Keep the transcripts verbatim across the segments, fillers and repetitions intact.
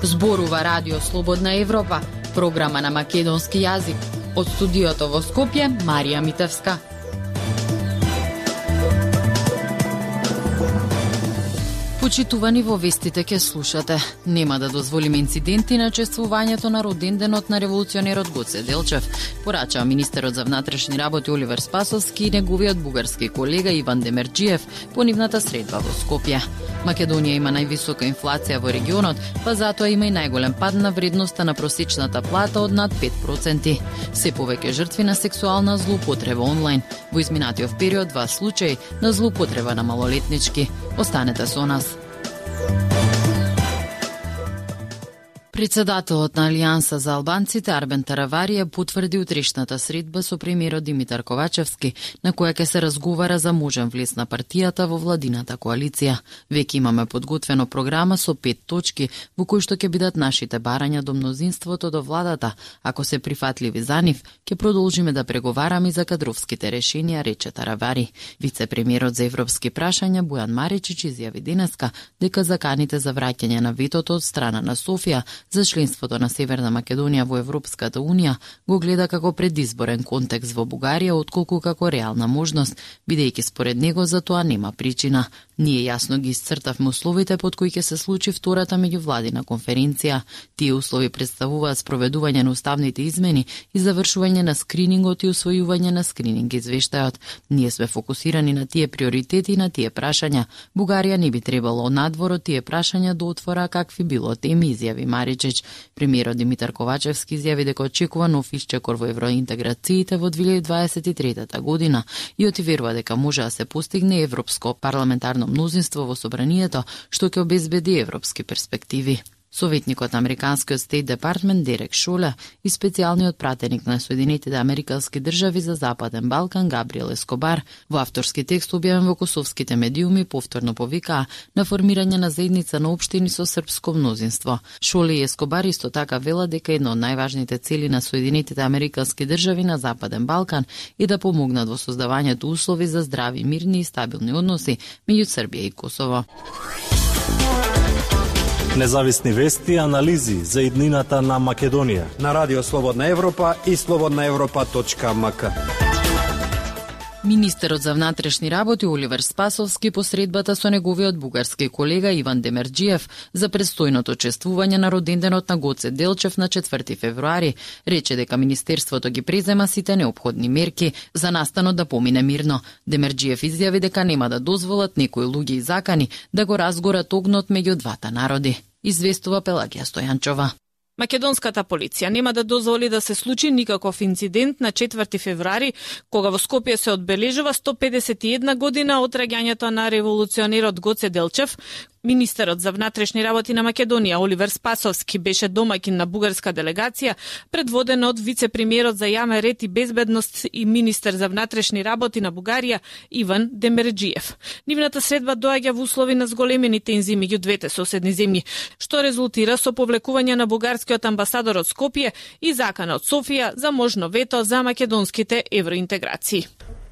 Зборува Радио Слободна Европа, програма на македонски јазик. Од студиото во Скопје, Марија Митевска. Почитувани, во вестите ке слушате. Нема да дозволиме инциденти на чествувањето на роденденот на револуционерот Гоце Делчев, порача министерот за внатрешни работи Оливер Спасовски и неговиот бугарски колега Иван Демерџиев по нивната средба во Скопје. Македонија има највисока инфлација во регионот, па затоа има и најголем пад на вредноста на просечната плата од над пет проценти. Се повеќе жртви на сексуална злоупотреба онлайн. Во изминатиот период два случаи на злоупотреба на малолетнички. Останете со нас. Председателот на Алијанса за албанците Арбен Таравари потврди утрешната средба со премиерот Димитар Ковачевски, на која ќе се разговара за можен влез на партијата во владината коалиција. Веќе имаме подготвено програма со пет точки во кои што ќе бидат нашите барања до мнозинството до владата. Ако се прифатливи за нив, ќе продолжиме да преговараме за кадровските решенија, рече Таравари. Вице-премиерот за европски прашања Бојан Маричич изјави денеска дека заканите за враќање на ветото од страна на Софија за членството на Северна Македонија во Европската Унија го гледа како предизборен контекст во Бугарија, отколку како реална можност, бидејќи според него за тоа нема причина. Ние јасно ги исцртавме условите под кои ќе се случи втората меѓувладина конференција. Тие услови представуваат спроведување на уставните измени и завршување на скринингот и усвојување на скрининг извештајот. Ние сме фокусирани на тие приоритети и на тие прашања. Бугарија не би требало надвор од тие прашања до отвора какви било теми, изјави Маричич. Премиерот Димитар Ковачевски изјави дека очекува нов исчекор во евроинтеграциите во две илјади дваесет и трета година и отверува дека може да се постигне европско парламентарно мнозинство во собранието што ќе обезбеди европски перспективи. Советникот на Американскиот Стейт Департмент Дерек Шоле и специјалниот пратеник на Соединетите Американски држави за Западен Балкан Габриел Ескобар во авторски текст објавен во косовските медиуми повторно повикаа на формирање на заедница на општини со српско мнозинство. Шоле и Ескобар исто така велат дека една од најважните цели на Соединетите Американски држави на Западен Балкан е да помогнат во создавањето услови за здрави, мирни и стабилни односи меѓу Србија и Косово. Независни вести и анализи за иднината на Македонија на Радио Слободна Европа и слободна европа точка ем ка. Министерот за внатрешни работи Оливер Спасовски по средбата со неговиот бугарски колега Иван Демерџиев за престојното чествување на роденденот на Гоце Делчев на четврти февруари рече дека министерството ги презема сите неопходни мерки за настанот да помине мирно. Демерџиев изјави дека нема да дозволат некои луѓе и закани да го разгорат огнот меѓу двата народи. Известува Пелагија Стојанчова. Македонската полиција нема да дозволи да се случи никаков инцидент на четврти февруари, кога во Скопје се одбележува сто педесет и една година од раѓањето на револуционерот Гоце Делчев. Министерот за внатрешни работи на Македонија Оливер Спасовски беше домаќин на бугарска делегација, предводена од вице-премиерот за јавен ред и безбедност и министер за внатрешни работи на Бугарија Иван Демерџиев. Нивната средба доаѓа во услови на зголемени тензии меѓу двете соседни земји, што резултира со повлекување на бугарскиот амбасадор од Скопје и закана од Софија за можно вето за македонските евроинтеграции.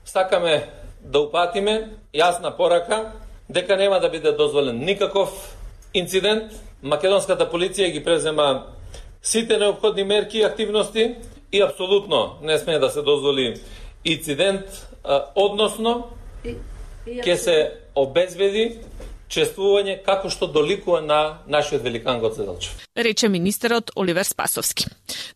Сакаме да упатиме јасна порака дека нема да биде дозволен никаков инцидент. Македонската полиција ги презема сите неопходни мерки и активности и апсолутно не смее да се дозволи инцидент, односно ќе се обезбеди чествување како што доликува на нашиот великан Гоце Делчев, рече министерот Оливер Спасовски.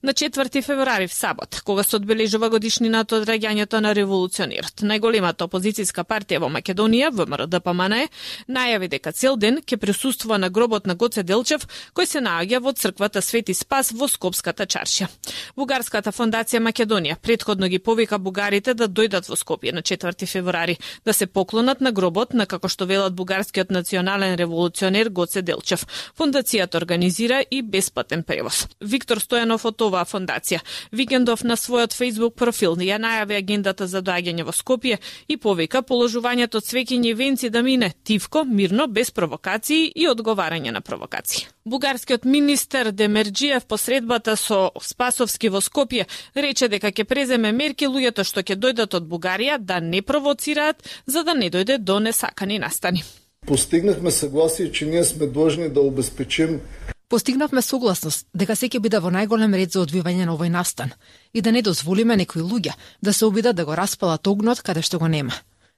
На четврти февруари в сабот, кога се одбележува годишнината од раѓањето на револуционерот, најголемата опозицијска партија во Македонија, ВМРО-ДПМНЕ, најави дека цел ден ќе присуствува на гробот на Гоце Делчев, кој се наоѓа во црквата Свети Спас во Скопската чаршија. Бугарската фондација Македонија претходно ги повика бугарите да дојдат во Скопје на четврти февруари, да се поклонат на гробот на, како што велат бугарскиот национален револуционер Гоце Делчев. Фондацијата организира и бесплатен превоз. Виктор Стојанов од оваа фондација викендов на својот Facebook профил ја најави агендата за доаѓање во Скопје и повика положувањето цвеќиња и венци да мине тивко, мирно, без провокации и одговарање на провокации. Бугарскиот министер Демерџиев по средбата со Спасовски во Скопје рече дека ќе преземе мерки луѓето што ќе дојдат од Бугарија да не провоцираат, за да не дојде до несакани настани. Постигнахме съгласие, че ние сме длъжни да обезпечим Постигнавме согласност дека секи биде во најголем ред за одвивање на овој настан и да не дозволиме некои луѓе да се обидат да го распалат огнот каде што го нема.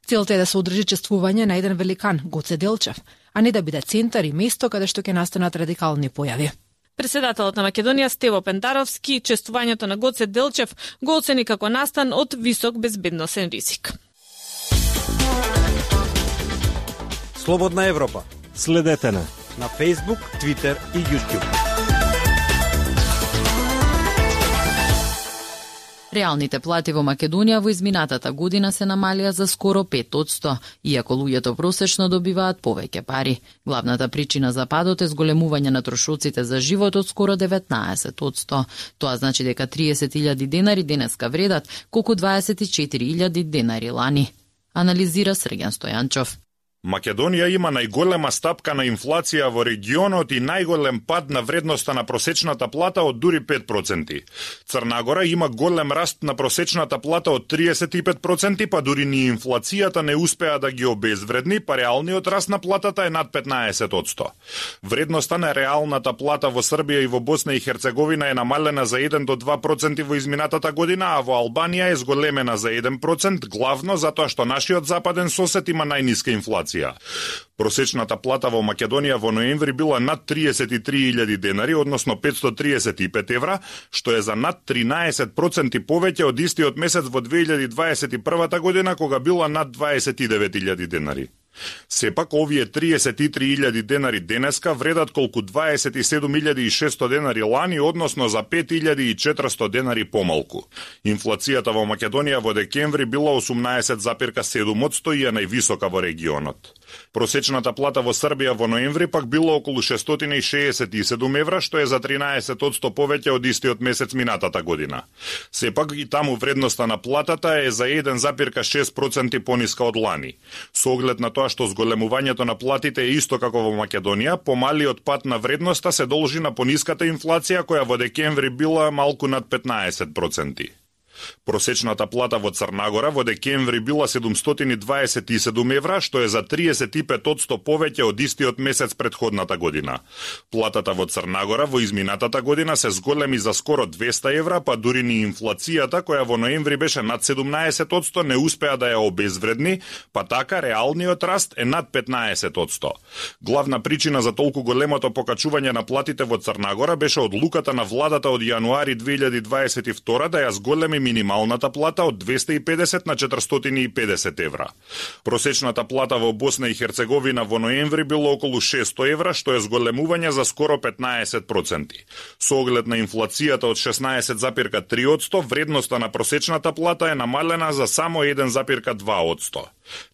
Целта е да се одржи чествување на еден великан, Гоце Делчев, а не да биде центар и место каде што ќе настанат радикални појави. Председателот на Македонија Стево Пентаровски чествувањето на Гоце Делчев го оцени како настан од висок безбедносен ризик. Слободна Европа. Следете на на Facebook, Twitter и YouTube. Реалните плати во Македонија во изминатата година се намалија за скоро пет одсто, иако луѓето просечно добиваат повеќе пари. Главната причина за падот е зголемување на трошоците за живот од скоро деветнаесет одсто. Тоа значи дека триесет илјади денари денеска вредат колку дваесет и четири илјади денари лани. Анализира Срген Стојанчов. Македонија има најголема стапка на инфлација во регионот и најголем пад на вредноста на просечната плата од дури пет проценти. Црна Гора има голем раст на просечната плата од триесет и пет проценти, па дури ни инфлацијата не успеа да ги обезвредни, па реалниот раст на платата е над петнаесет одсто. Вредноста на реалната плата во Србија и во Босна и Херцеговина е намалена за еден до два проценти во изминатата година, а во Албанија е зголемена за еден процент, главно затоа што нашиот западен сосед има најниска инфлација. Просечната плата во Македонија во ноември била над триесет и три илјади денари, односно петстотини триесет и пет евра, што е за над тринаесет проценти повеќе од истиот месец во две илјади дваесет и прва година, кога била над дваесет и девет илјади денари. Сепак, овие триесет и три илјади денари денеска вредат колку дваесет и седум илјади и шесто денари лани, односно за пет илјади и четиристо денари помалку. Инфлацијата во Македонија во декември била осумнаесет запирка седум одсто и е највисока во регионот. Просечната плата во Србија во ноември пак била околу шестстотини и шеесет и седум евра, што е за тринаесет одсто повеќе од истиот месец минатата година. Сепак и таму вредноста на платата е за еден запирка шест проценти пониска од лани. Со оглед на тоа што зголемувањето на платите е исто како во Македонија, помалиот пад на вредноста се должи на пониската инфлација која во декември била малку над петнаесет проценти. Просечната плата во Црна Гора во декември била седумстотини дваесет и седум евра, што е за триесет и пет одсто повеќе од истиот месец претходната година. Платата во Црна Гора во изминатата година се зголеми за скоро двеста евра, па дури ни инфлацијата, која во ноември беше над седумнаесет одсто, не успеа да ја обезвредни, па така реалниот раст е над петнаесет одсто. Главна причина за толку големото покачување на платите во Црна Гора беше одлуката на владата од јануари две илјади дваесет и втора да ја зголеми минималната плата од двеста и педесет на четиристотини и педесет евра. Просечната плата во Босна и Херцеговина во ноември било околу шесто евра, што е зголемување за скоро петнаесет проценти. Со оглед на инфлацијата од шеснаесет запирка три одсто, вредноста на просечната плата е намалена за само еден запирка два одсто.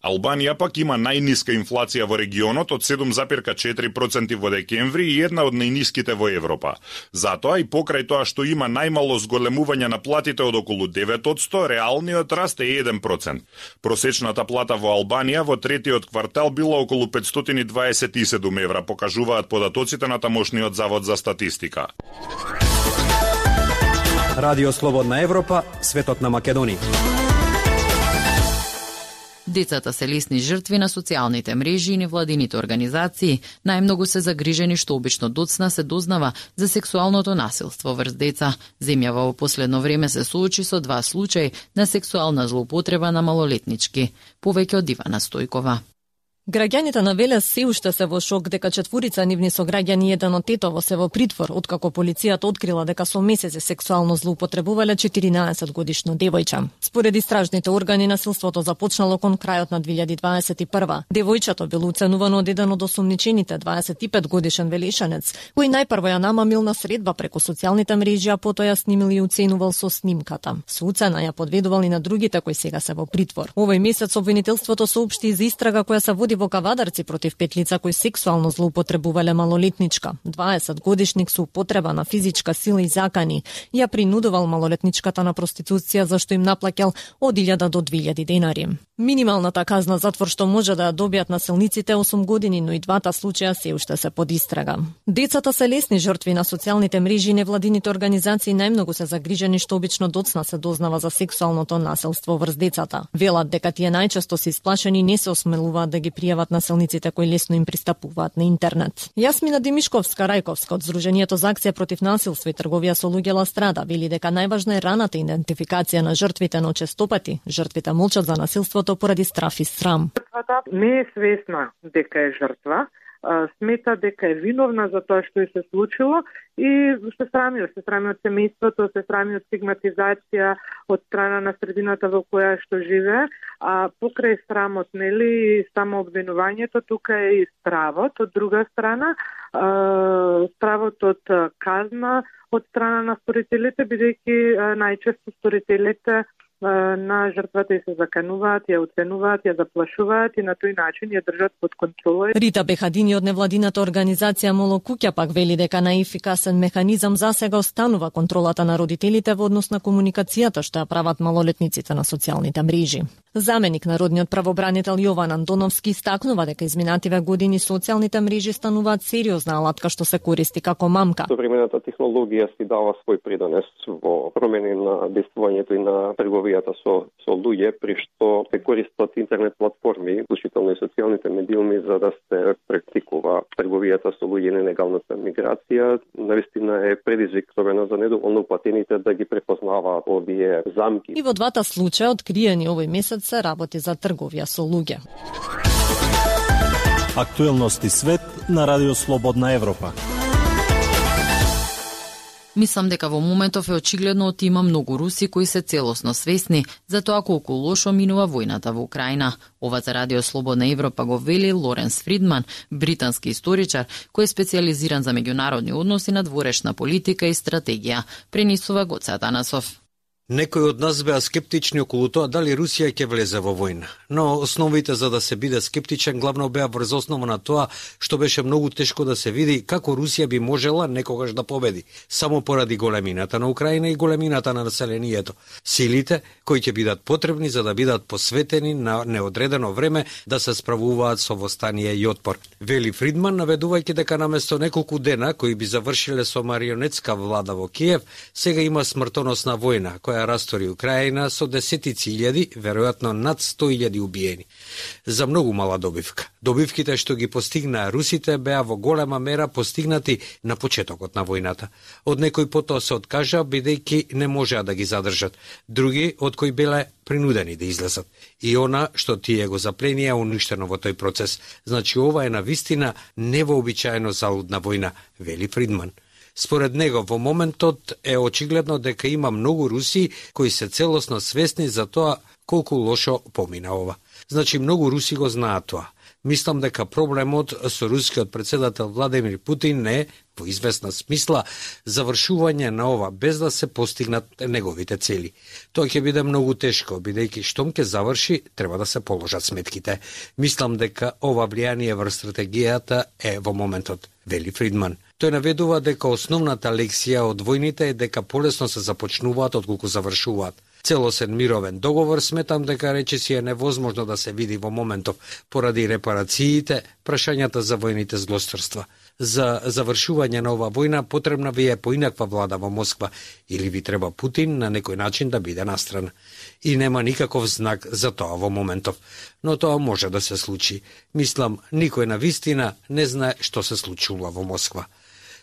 Албанија пак има најниска инфлација во регионот од седум запирка четири проценти во декември и една од најниските во Европа. Затоа и покрај тоа што има најмало зголемување на платите од околу девет одсто, реалниот раст е еден процент. Просечната плата во Албанија во третиот квартал била околу петстотини дваесет и седум евра, покажуваат податоците на тамошниот завод за статистика. Радио Слободна Европа, светот на Македонија. Децата се лесни жртви на социјалните мрежи и невладините организации. Најмногу се загрижени што обично доцна се дознава за сексуалното насилство врз деца. Земјава во последно време се соочи со два случаи на сексуална злоупотреба на малолетнички. Повеќе од Ивана Стојкова. Граѓаните на Велес се уште се во шок дека четворица нивни сограѓани и еден од тетово се во притвор, откако полицијата открила дека со месеци сексуално злоупотребувале четиринаесет годишно девојче. Според истражните органи, насилството започнало кон крајот на две илјади дваесет и прва. Девојчето било уценувано од еден од осумничените, дваесет и пет годишен велешанец, кој најпрво ја намамил на средба преку социјалните мрежи, а потоа ја снимил и уценувал со снимката. Со уцена ја подведувал и на другите кои сега се во притвор. Овој месец обвинителството соопшти за истрага која се води во Кавадарци против пет лица кои сексуално злоупотребувале малолетничка. дваесет годишник со употреба на физичка сила и закани ја принудувал малолетничката на проституција, зашто им наплаќал од илјада до две илјади денари. Минималната казна затвор што може да ја добијат насилниците е осум години, но и двата случаја се уште се под истрага. Децата се лесни жртви на социјалните мрежи и невладините организации најмногу се загрижени што обично доцна се дознава за сексуалното насилство врз децата. Велат дека тие најчесто се исплашени и не се осмелуваат да ги пријават насилниците кои лесно им пристапуваат на интернет. Јасмина Димишковска Рајковска од Здруженијето за акција против насилство и трговија со луѓе Ла Страда вели дека најважна е раната идентификација на жртвите, но честопати жртвите молчат за насилството поради страф и срам. Жртвата не е свесна дека е жртва, смета дека е виновна за тоа што се случило и се срами, се срами од семејството, се срами од стигматизација од страна на средината во која што живее, а покрај срамот, нели, само обвинувањето, тука е и стравот од друга страна, стравот од казна од страна на сторителите, бидејќи најчесто сторителите на жртвата и се закануваат, ја оценуваат, ја заплашуваат и на тој начин ја држат под контрола. Рита Бехадини од невладината организација Моло Куќа пак вели дека најефикасен механизам засега останува контролата на родителите во однос на комуникацијата што ја прават малолетниците на социјалните мрежи. Заменик народниот правобранител Јован Антоновски истакнува дека изминативе години социјалните мрежи стануваат сериозна алатка што се користи како мамка. Современата технологија си дава свој придонес во промени на действувањето и на трговијата со со луѓе, при што се користат интернет платформи, вклучително и социјалните медиуми, за да се практикува трговијата со луѓе и нелегалната миграција. Навистина е предизвик особено за недоволно упатените да ги препознаваат овие замки. И во двата случаја откриени овој месец се работи за трговија со луѓе. Актуелности свет на Радио Слободна Европа. Мислам дека во моментов е очигледно оти има многу руси кои се целосно свесни за тоа колку лошо минува војната во Украина. Ова за Радио Слободна Европа го вели Лоренс Фридман, британски историчар кој е специјализиран за меѓународни односи, надворешна политика и стратегија. Пренесува Гоце Атанасов. Некои од нас беа скептични околу тоа дали Русија ќе влезе во војна, но основите за да се биде скептичен главно беа врз основа на тоа што беше многу тешко да се види како Русија би можела некогаш да победи, само поради големината на Украина и големината на населението, силите кои ќе бидат потребни за да бидат посветени на неодредено време да се справуваат со востание и отпор. Вели Фридман, наведувајќи дека наместо неколку дена кои би завршиле со марионетска влада во Киев, сега има смртоносна војна која растори Украина со десетици илјади, веројатно над сто илјади убиени. За многу мала добивка. Добивките што ги постигнаа русите беа во голема мера постигнати на почетокот на војната. Од некои потоа се откажаа бидејќи не можеа да ги задржат. Други од кои биле принудени да излезат. И она што тие го запленија е уништено во тој процес. Значи ова е навистина невообичаено залудна војна, вели Фридман. Според него, во моментот е очигледно дека има многу руси кои се целосно свесни за тоа колку лошо помина ова. Значи, многу руси го знаат тоа. Мислам дека проблемот со рускиот председател Владимир Путин не е, во известна смисла, завршување на ова без да се постигнат неговите цели. Тоа ќе биде многу тешко, бидејќи штом ќе заврши, треба да се положат сметките. Мислам дека ова влијание врз стратегијата е во моментот, вели Фридман. Тој наведува дека основната лекција од војните е дека полесно се започнуваат отколку завршуваат. Целосен мировен договор сметам дека речиси е невозможно да се види во моментов поради репарациите, прашањата за војните злосторства. За завршување на ова војна потребна ви е поинаква влада во Москва или ви треба Путин на некој начин да биде настрана. И нема никаков знак за тоа во моментов. Но тоа може да се случи. Мислам, никој на вистина не знае што се случува во Москва.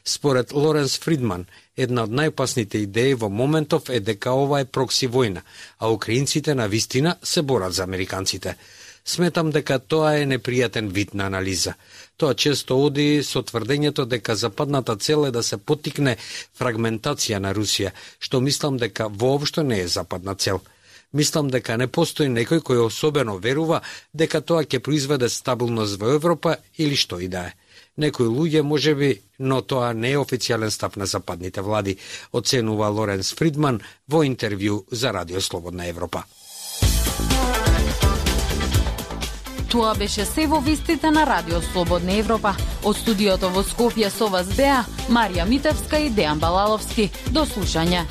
Според Лоренс Фридман, една од најопасните идеи во моментов е дека ова е прокси војна, а украинците на вистина се борат за американците. Сметам дека тоа е непријатен вид на анализа. Тоа често оди со тврдењето дека западната цел е да се поттикне фрагментација на Русија, што мислам дека воопшто не е западна цел. Мислам дека не постои некој кој особено верува дека тоа ќе произведе стабилност во Европа или што и да е. Некои луѓе можеби, но тоа не е официјален став на западните влади, оценува Лоренс Фридман во интервју за Радио Слободна Европа. Тоа беше се во вестите на Радио Слободна Европа. Од студиото во Скопје со вас беа Марија Митевска и Дејан Балаловски. До слушање.